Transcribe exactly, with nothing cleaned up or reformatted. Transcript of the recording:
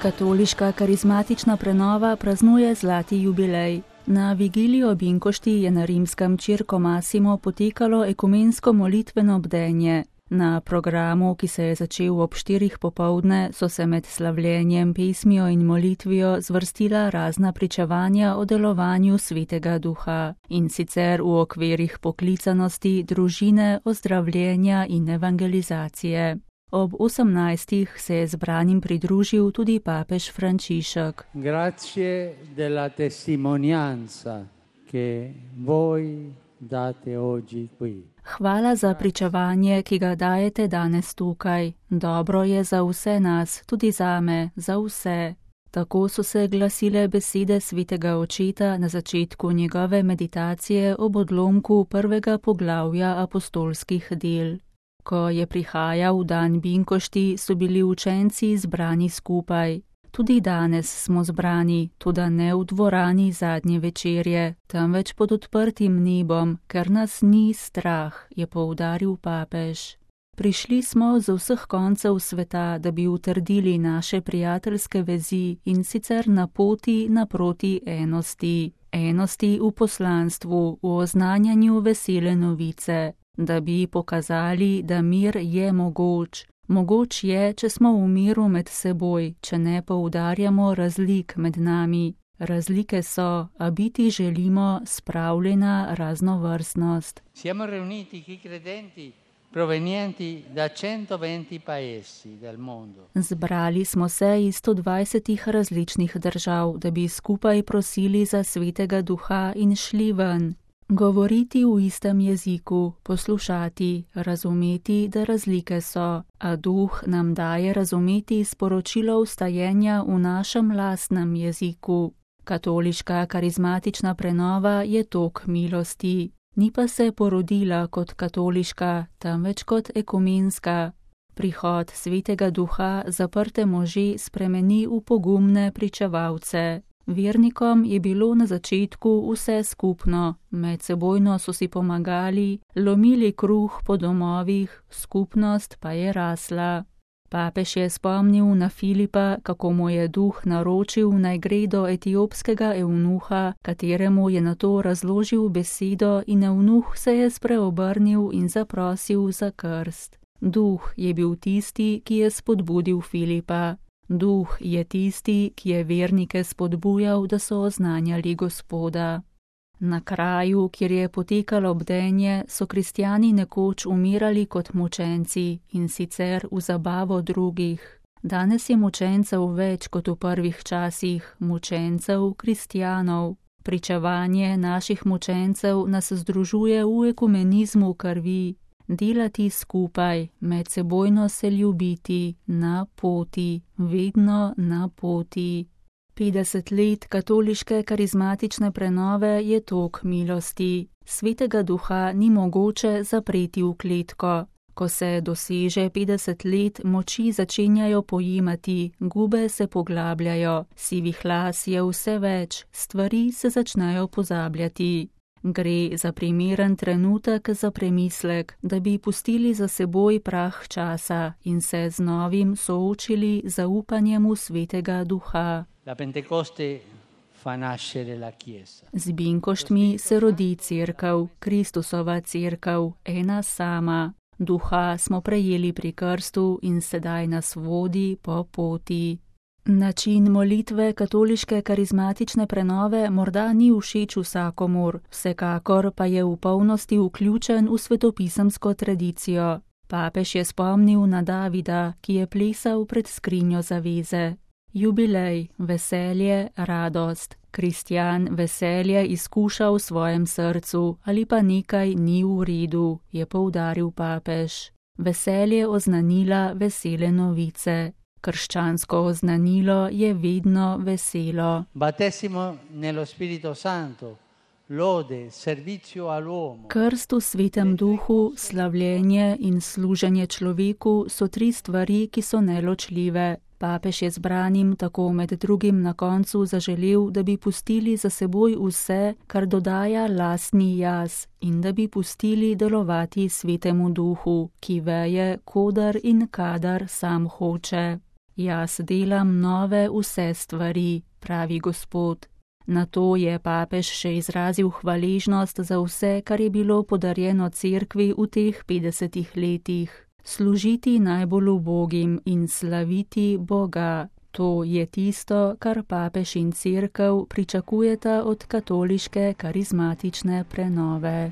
Katoliška karizmatična prenova praznuje zlati jubilej. Na vigilijo Binkošti je na rimskem Circo Massimo potekalo ekumensko molitveno bdenje. Na programu, ki se je začel ob štirih popoldne, so se med slavljenjem, pesmijo in molitvijo zvrstila razna pričevanja o delovanju Svetega Duha, in sicer v okvirih poklicanosti, družine, ozdravljenja in evangelizacije. Ob osemnajstih se je zbranim pridružil tudi papež Frančišek. Grazie della testimonianza che voi date oggi qui. Hvala za pričevanje, ki ga dajete danes tukaj. Dobro je za vse nas, tudi zame, za vse. Tako so se glasile besede svetega očeta na začetku njegove meditacije ob odlomku prvega poglavja apostolskih del. Ko je prihajal dan Binkošti, so bili učenci zbrani skupaj. Tudi danes smo zbrani, tudi ne v dvorani zadnje večerje, temveč pod odprtim nebom, ker nas ni strah, je poudaril papež. Prišli smo z vseh koncev sveta, da bi utrdili naše prijateljske vezi in sicer na poti naproti enosti. Enosti v poslanstvu, v oznanjanju vesele novice, da bi pokazali, da mir je mogoč. Mogoč je, če smo v miru med seboj, če ne poudarjamo razlik med nami. Razlike so, a biti želimo spravljena raznovrstnost. Siamo riuniti qui credenti provenienti da centoventi paesi del mondo. Zbrali smo se iz sto dvajsetih različnih držav, da bi skupaj prosili za Svetega Duha in šli ven. Govoriti v istem jeziku, poslušati, razumeti, da razlike so, a Duh nam daje razumeti sporočilo vstajenja v našem lastnem jeziku. Katoliška karizmatična prenova je tok milosti, ni pa se porodila kot katoliška, temveč kot ekumenska. Prihod Svetega Duha zaprte može spremeni v pogumne pričevalce. Vernikom je bilo na začetku vse skupno, medsebojno so si pomagali, lomili kruh po domovih, skupnost pa je rasla. Papež je spomnil na Filipa, kako mu je Duh naročil naj gre do etiopskega evnuha, kateremu je nato razložil besedo, in evnuh se je spreobrnil in zaprosil za krst. Duh je bil tisti, ki je spodbudil Filipa. Duh je tisti, ki je vernike spodbujal, da so oznanjali Gospoda. Na kraju, kjer je potekalo bdenje, so kristjani nekoč umirali kot mučenci, in sicer v zabavo drugih. Danes je mučencev več kot v prvih časih, mučencev kristjanov. Pričevanje naših mučencev nas združuje v ekumenizmu krvi. Delati skupaj, medsebojno se ljubiti, na poti, vedno na poti. petdeset let katoliške karizmatične prenove je tok milosti. Svetega Duha ni mogoče zapreti v kletko. Ko se doseže petdeset let, moči začenjajo pojemati, gube se poglabljajo, sivih las je vse več, stvari se začnejo pozabljati. Gre za primeren trenutek za premislek, da bi pustili za seboj prah časa in se z novim soočili zaupanjem v Svetega Duha. La Pentecoste fa nascere la Chiesa. Z Binkoštmi se rodi cerkev, Kristusova cerkev, ena sama. Duha smo prejeli pri krstu in sedaj nas vodi po poti. Način molitve katoliške karizmatične prenove morda ni všeč vsakomur, vsekakor pa je v polnosti vključen v svetopisemsko tradicijo. Papež je spomnil na Davida, ki je plesal pred skrinjo zaveze. Jubilej, veselje, radost. Kristjan veselje izkuša v svojem srcu ali pa nekaj ni v redu, je poudaril papež. Veselje oznanila vesele novice. Krščansko oznanilo je vedno veselo. Battesimo nello Spirito Santo, lode, servizio all'uomo. Krst v Svetem Duhu, slavljenje in služenje človeku so tri stvari, ki so neločljive. Papež je zbranim tako med drugim na koncu zaželel, da bi pustili za seboj vse, kar dodaja lastni jaz, in da bi pustili delovati Svetemu Duhu, ki veje, kodar in kadar sam hoče. Jaz delam nove vse stvari, pravi Gospod. Na to je papež še izrazil hvaležnost za vse, kar je bilo podarjeno cerkvi v teh petdesetih letih. Služiti najbolj ubogim in slaviti Boga. To je tisto, kar papež in cerkev pričakujeta od katoliške karizmatične prenove.